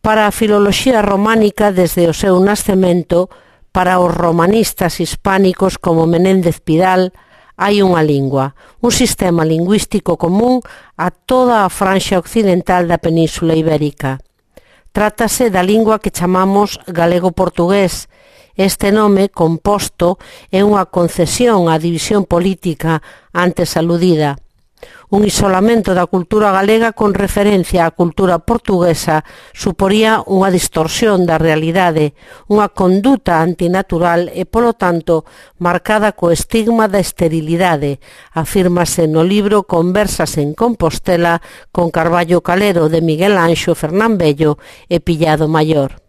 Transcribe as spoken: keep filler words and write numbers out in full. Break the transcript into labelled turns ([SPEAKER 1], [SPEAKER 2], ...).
[SPEAKER 1] Para a filoloxía románica, desde o seu nascemento, para os romanistas hispánicos como Menéndez Pidal, hai unha lingua, un sistema lingüístico común a toda a franxa occidental da Península Ibérica. Trátase da lingua que chamamos galego-portugués. Este nome composto é unha concesión á división política antes aludida. Un isolamento da cultura galega con referencia á cultura portuguesa suporía unha distorsión da realidade, unha conduta antinatural e, polo tanto, marcada co estigma da esterilidade, afírmase no libro Conversas en Compostela con Carballo Calero de Miguel Anxo Fernán Bello e Pillado Maior.